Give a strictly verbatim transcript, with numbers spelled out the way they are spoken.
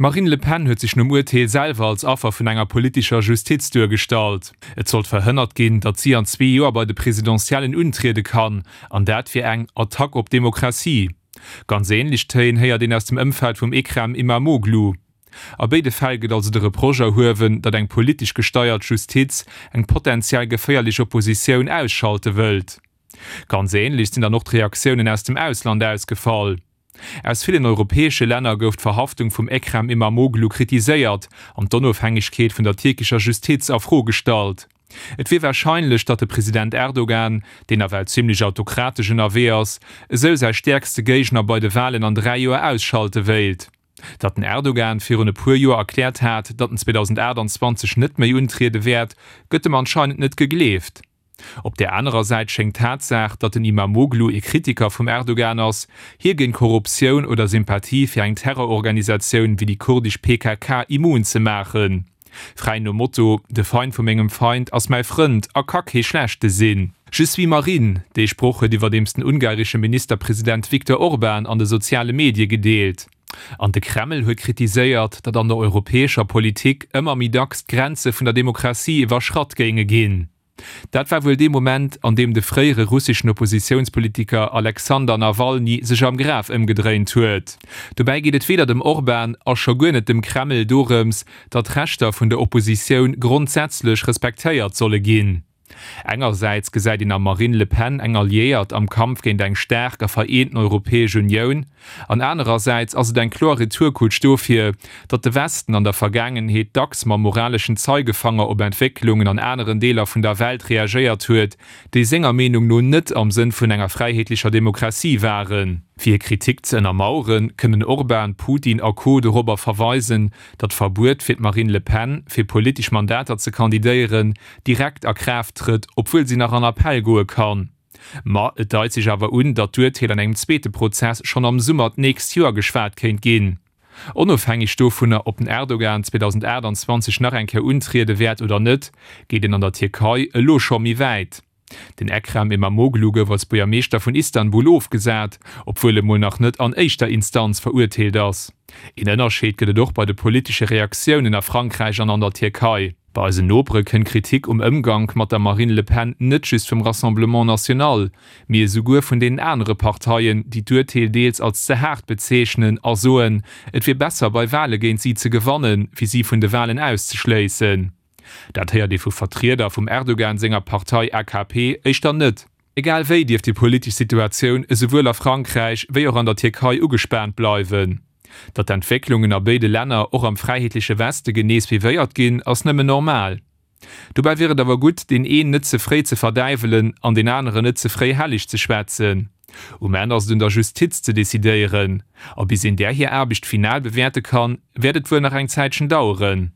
D'Marine Le Pen huet sech nom Urteel selwer als Affer vun enger politescher Justiz duergestallt. Et sollt verhënnert ginn, datt si an zwee Joer bei de Presidentiellen untriede kann, an dat wier eng Attack op d'Demokratie. Ganz änlech Téin héiert een aus dem Ëmfeld vum Ekrem Imamoglu. A béide Fäll gëtt also de Reproche erhuewen, datt eng politesch gesteiert Justiz eng potentiell geféierlech Oppositioun ausschalte wëllt. Ganz änlech sinn dann och d'Reaktiounen aus dem Ausland ausgefall. Aus villen europäesche Länner gouf d'Verhaftung vum Ekrem Imamoglu kritiséiert an d'Onofhängegkeet vun der tierkescher Justiz a Fro gestallt. Et wier warscheinlech, datt de President Erdogan, deen nawell zimmlech autokratesch ënnerwee ass, esou säi stäerkste Géigner bei de Walen an dräi Joer ausschalte wéilt. Datt den Erdogan virun e puer Joer erkläert hat, datt en zweedausendachtanzwanzeg net méi untriede wäert, gëtt em anscheinend net gegleeft. Op där anerer Säit schéngt d'Tatsaach, datt den Imamoglu ee Kritiker vum Erdogan ass, hie géint Korruptioun oder Sympathie fir eng Terrororganisatioun wéi déi kurdesch P K K immun ze maachen. Fräi nom Motto, De Feind vu mengem Feind ass mäi Frënd a ka kee schlechte sinn. Je suis Marine, dee Sproch huet iwwerdeems den ungaresche Ministerpresident Viktor Orban an de soziale Medie gedeelt. An de Kreml huet kritiséiert, datt an der europäescher Politik ëmmer méi dacks d'Grenze vun der Demokratie iwwerschratt géinge ginn. Dat war wuel dee Moment, an deem de fréiere russeschen Oppositiounspolitiker Alexander Nawalny sech am Graf ëmgedréint huet. Dobäi geet et weder dem Orban a scho guer net dem Kreml dorëms, datt d'Rechter vun der Oppositioun grondsätzlech respektéiert solle ginn. Engersäits gesäit een am Marine Le Pen eng Alliéiert am Kampf géint eng staark a vereenten Europäesch Unioun, an anerersäits ass et eng kloer Retourkutsch dofir, datt de Westen an der Vergaangenheet dacks mam moraleschen Zeigefanger op Entwécklungen an aneren Deeler vun der Welt reagéiert huet, déi senger Meenung no net am Sënn vun enger fräiheetlecher Demokratie waren. Fir hir Kritik ze ënnermaueren, kënnen Orban, Putin a Co. Dorobber verweisen, datt d'Verbuet fir d'Marine Le Pen, fir politesch Mandater ze kandidéieren, direkt a Kraaft trëtt, obwuel si nach an Appell goe kann. Ma et deit sech awer un, datt d'Urteel an engem zweete Prozess schonn am Summer d'nächst Joer geschwat kéint ginn. Onofhängeg dovunner, ob den Erdogan zweedausendachtanzwanzeg nach eng Kéier untriede wäert oder net, geet een an der Tierkei elo scho méi wäit. Den Ekrem Imamoglu gouf als Buergermeeschter vun Istanbul ofgesat, obwuel e mol nach net an éischter Instanz verurteelt ass. Een Ënnerscheed gëtt et och bei de politesche Reaktiounen a Frankräich an an der Tierkei. Bei eisen Nopere kënnt Kritik um Ëmgank mat der Marine Le Pen net just vum Rassemblement National, mee esouguer vun deenen anere Parteien, déi d'Urteel deels als ze haart bezeechnen a soen, et wier besser bei Wale géint si ze gewannen, wéi si vun de Walen auszeschléissen. Dat héiert ee vu Vertrieder vum Erdogan senger Partei A K P éischter net. Egal wéi dierft déi politesch Situatioun esouwuel a Frankräich wéi och an der Tierkei ugespaant bleiwen. Datt d'Entwécklungen a béide Länner och am fräiheetleche Weste genee suivéiert ginn, ass nëmmen normal. Dobäi wier et awer gutt, deen een net ze fréi ze verdäiwelen an deen aneren net ze fréi helleg ze schwätzen. Um Enn ass et un der Justiz ze decidéieren, a bis een där hir Aarbecht final bewäerte kann, wäert et wuel nach eng Zäitchen daueren.